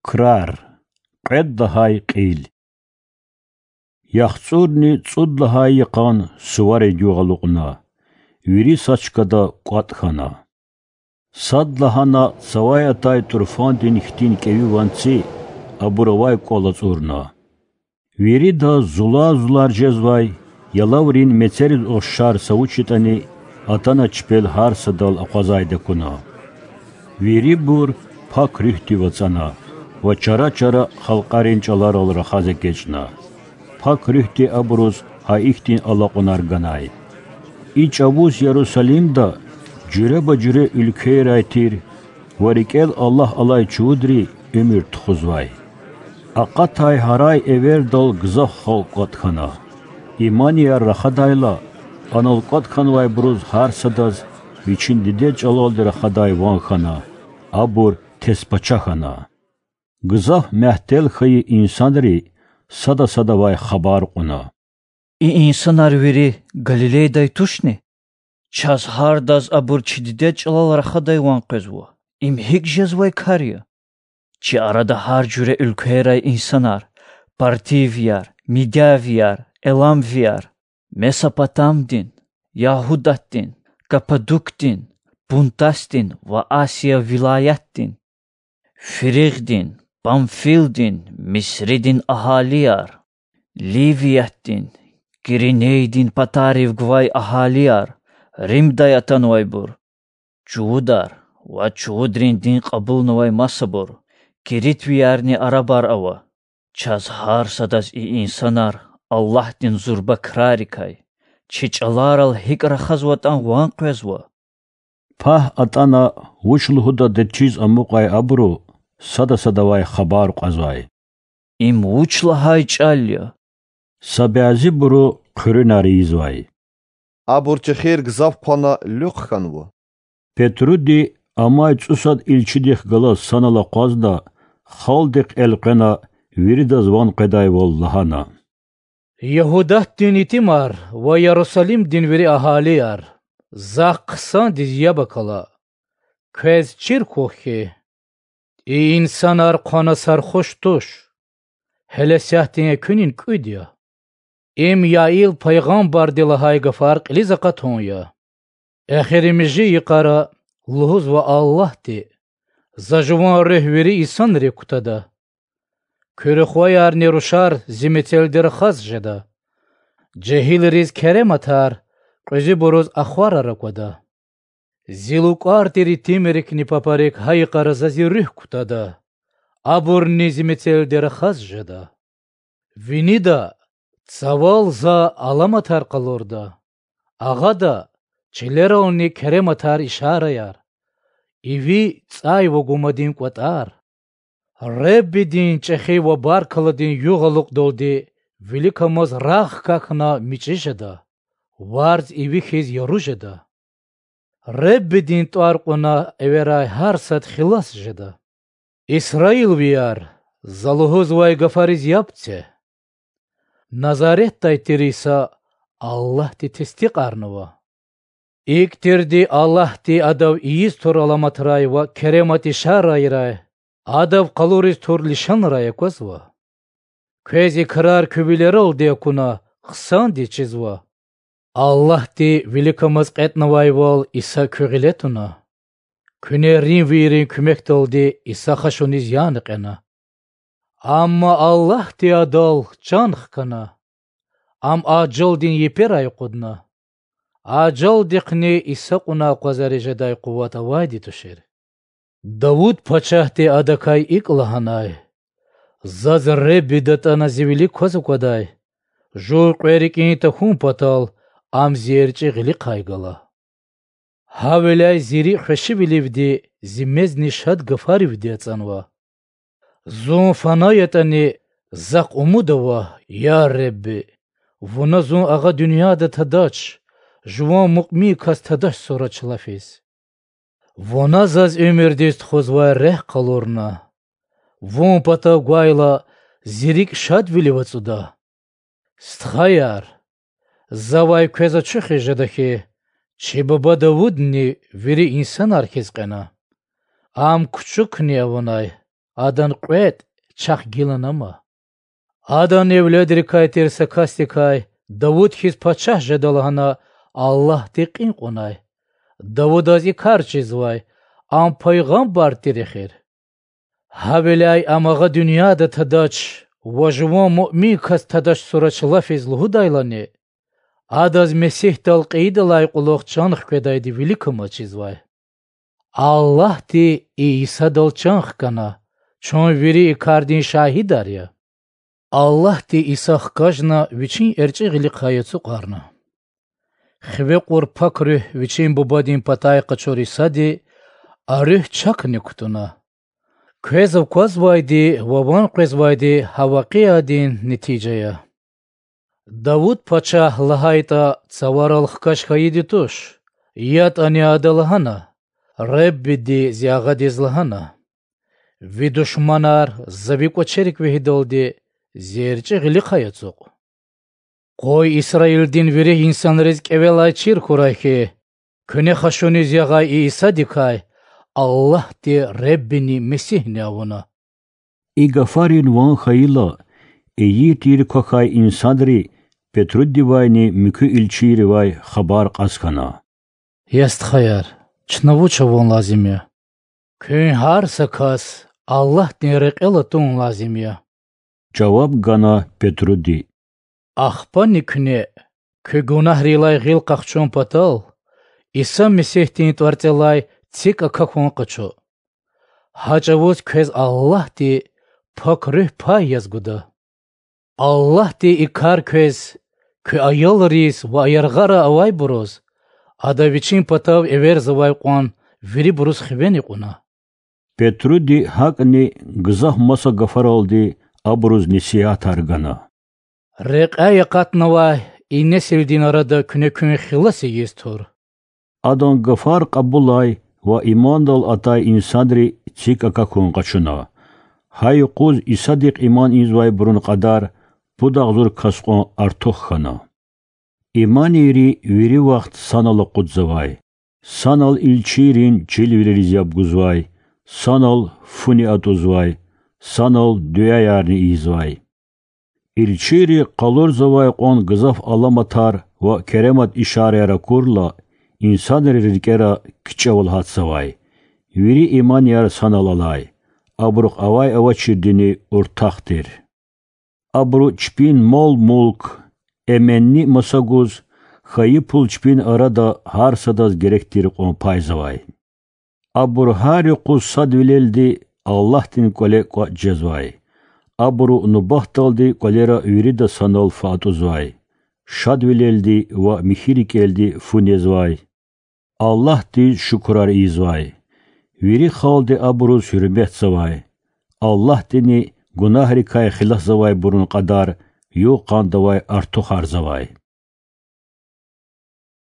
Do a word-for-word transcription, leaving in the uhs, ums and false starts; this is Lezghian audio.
Крар. Кьвед лагьай кьил. ЯхцӀурни цӀуд лагьай йикъан суварин югъ алукьна, вири са чкада кӀватӀ хьана. Садлагьана цавай атай тӀурфандин хьтин кӀеви ванци абур авай кӀвал ацӀурна. Виридаз зулар-зулар жезвай, ялаврин мецериз ухшар са вуч ятӀани атана чпел гьар садал акъвазайди акуна. Вирибур Пак Руьгьдив ацӀана ва чара-чара халкьарин чӀаларал рахаз эгечӀна. Пак Руьгьди абуруз гьа ихьтин алакьунар ганай. И чӀавуз Ярусалимда жуьреба-жуьре уьлквейрай тир ва рикӀел Аллагь алай чувудри уьмуьр тухузвай. Акъатай гьарай эвердал гзаф халкь кӀватӀ хьана. Иманияр рахадайла, анал кӀватӀ хьанвайбуруз гьар садаз вичин дидед чӀалалди рахадай ван хьана, абур тестпачагь хьана. Гзаф мягьтел хьайи инсанри сада садавай хабар кьуна: И инсанар вири Галилейдай тушни? Чаз гьардаз абур чи дидед чӀалал рахадай ван къвезва. Им гьикӀ жезвай кар я? Чи арада гьар жуьре уьлквейрай инсанар: партивияр, мидявияр, эламвияр, Месопотамдин, Ягьудатдин, Каппадукдин, Пунтасдин ва Асия вилаятдин, Фригдин, Памфилдин, Мисридин агьалияр, Ливиятдин, Киринейдин патарив гвай агьалияр, Римдай атанвайбур, чувудар ва чувудрин дин кьабулнавай масабур, киритвиярни арабар ава. Чаз гьар садаз и инсанар Аллагьдин зурба крарикай, чи чӀаларал гьикӀ рахазватӀан ван къвезва. Пагь атӀана вуч лугьудатӀа чиз амукьай абуру сада садавай хабар кьазвай: Им вуч лагьай чӀал я? Са бязибуру хъуьруьнар ийизвай: Абур чехир гзаф хъвана луьхъ хьанва. Петруди амай цӀусад илчидихъ галаз санал акъвазна, халкьдихъ элкъвена, виридаз ван къведайвал лагьана: Ягьудатдин итимар ва Ярусалимдин вири агьалияр, захъ хъсандиз яб акала. Квез чир хьухь хьи, и инсанар хъвана сархуш туш, гьеле сятдин экуьнин кӀуьд я. Им Яил пайгъамбарди лагьай гафар кьилиз акъатун я: Эхиримжи йикъара лугьузва Аллагьди: За Жуван Руьгь вири инсанрик кутада. Куь рухваярни рушар Зи мецелди рахаз жеда. Жегьилриз керематар, кьуьзуьбуруз ахварар аквада. Зи лукӀар тир итимрикни папарик гьа йикъара За Зи Руьгь кутада. Абурни Зи мецелди рахаз жеда. Винида, цавал За аламатар къалурда, агъада, чилерални керематар-ишараяр, иви цӀай ва гумадин кӀватӀар. Худадин чӀехи ва баркалладин югъ алукьдалди виликамаз рагъ хкахьна мичӀи жеда, варз иви хьиз яру жеда. Худадин тӀвар кьуна эверай гьар сад хилас жеда. Исраилвияр, За лугьузвай гафариз яб це. Назаретдай тир Иса Аллагьди тестикьарнава. ИкӀ тирди Аллагьди Адав ийиз тур аламатрай ва керемат-ишарайрай, Адав къалуриз тур лишанрай аквазва. Квез и крар куь вилералди акуна, хъсандиз чизва. Аллагьди виликамаз кьетӀнавайвал Иса куь гъиле туна. Куьне римвийрин куьмекдалди Иса хашуниз яна кьена. Амма Аллагьди Адал чан хкана, Ам ажалдин еперай акъудна. Ажалдихъни Иса кьуна акъвазариз жедай къуват авайди тушир. Давуд пачагьди Адакай икӀ лагьанай: Заз Худа датӀана Зи вилик кваз аквадай, жув кьве рикӀин тахьун патал Ам Зи эрчӀи гъилихъай гала. Гьавиляй Зи рикӀ хвешивиливди, Зи мезни шад гафаривди ацӀанва. Зун фана ятӀани, Захъ умуд ава, я Худа, Вуна Зун агъа дуьньяда тадач, жуван муъмин кас тадач сурач лафиз. Вуна заз уьмуьрдиз тухузвай рехъ къалурна. Вун патав гвайла, Зи рикӀ шадвилив ацӀуда. Стхаяр, Завай квез ачухиз жеда хьи, чи буба Давудни вири инсанар хьиз кьена. Ам кучукни авунай, адан кьветӀ чахъ гилан ама. Адан эвледрикай тир са касдикай Давуд хьиз пачагь жеда лагьана Аллагьди кьин кьунай. Давудаз и кар чизвай, ам пайгъамбар тир эхир. Гьавиляй ам агъа дуьньяда тадач ва жуван муъмин кас тадач сурач лафиз лугьудайлани, адаз Месигьдал кьейидалай кьулухъ чан хкведайди виликамаз чизвай. Аллагьди и Исадал чан хкана, чун вири и кардин шагьидар я. Аллагьди Иса хкажна Вичин эрчӀи гъилихъай ацукьарна. Хиве кьур Пак Руьгь Вичин Бубадин патай къачур Исади а Руьгь чакни кутуна. Квез аквазвайди ва ван къвезвайди гьа вакъиадин нетижа я. Давуд пачагь лагьайтӀа, цаварал хкаж хьайиди туш, ятӀани ада лагьана: Реббиди зи агъадиз лагьана: Ви душманар За Ви кӀвачерик вегьидалди Зи эрчӀи гъилихъай ацукь. Къуй Исраилдин вири инсанриз кӀевелай чир хьурай хьи, куьне хашуниз ягъай и Исадикай Аллагьди Реббини Месигьни авуна. И гафарин ван хьайила, ийир-тийир квахьай инсанри Петрудивайни муькуь илчийривай хабар кьаз хьана: Я стхаяр, чна вуч авун лазим я? Куьн гьар са кас Аллагьдин рекьел атун лазим я,— жаваб гана Петруди. Ахпани куьне, куь гунагьрилай гъил къахчун патал, Иса Месигьдин тӀварцӀелай цик акахьун къачу. Гьа чӀавуз квез Аллагьди Пак Руьгь пай яз гуда. Аллагьди и кар квез, куь аялриз ва яргъара авайбуруз, Ада Вичин патав эверзавай кьван вирибуруз хивени кьуна. Петруди гьакӀни гзаф маса гафаралди абуруз несигьатар гана. Рекьяй акъатнавай и несилдин арада куьне куьн хилас ийиз тур. Адан гафар кьабулай ва имандал атай инсанри цик акахьун къачуна. Гьа юкъуз Исадихъ иман ийизвайбурун кьадар пуд агъзур кас кьван артух хьана. Иманийри вири вахт санал акъудзавай, санал илчийрин чилвилериз яб гузвай, санал фуни атӀузвай, санал дуьаярни ийизвай. Илчийри къалурзавай кьван гзаф аламатар ва керемат ишараяр акурла, инсанрин рикӀера кичӀевал гьатзавай. Вири иманияр санал алай, абурухъ авай-авачирдини уртах тир. Абуру чпин мал-мулк, эменни маса гуз, хьайи пул чпин арада гьар садаз герек тир кьван пайзавай. Абур гьар юкъуз садвилелди Аллагьдин кӀвале кӀватӀ жезвай. Абуру нубатдалди кӀвалера вирида санал фу атӀузвай, шадвилелди ва михьи рикӀелди фу незвай. Аллагьдиз шукурар ийизвай. Вири халкьди абуруз гьуьрметзавай. Аллагьдини гунагьрикай хиласзавайбурун кьадар югъ-къанда авай артухарзавай.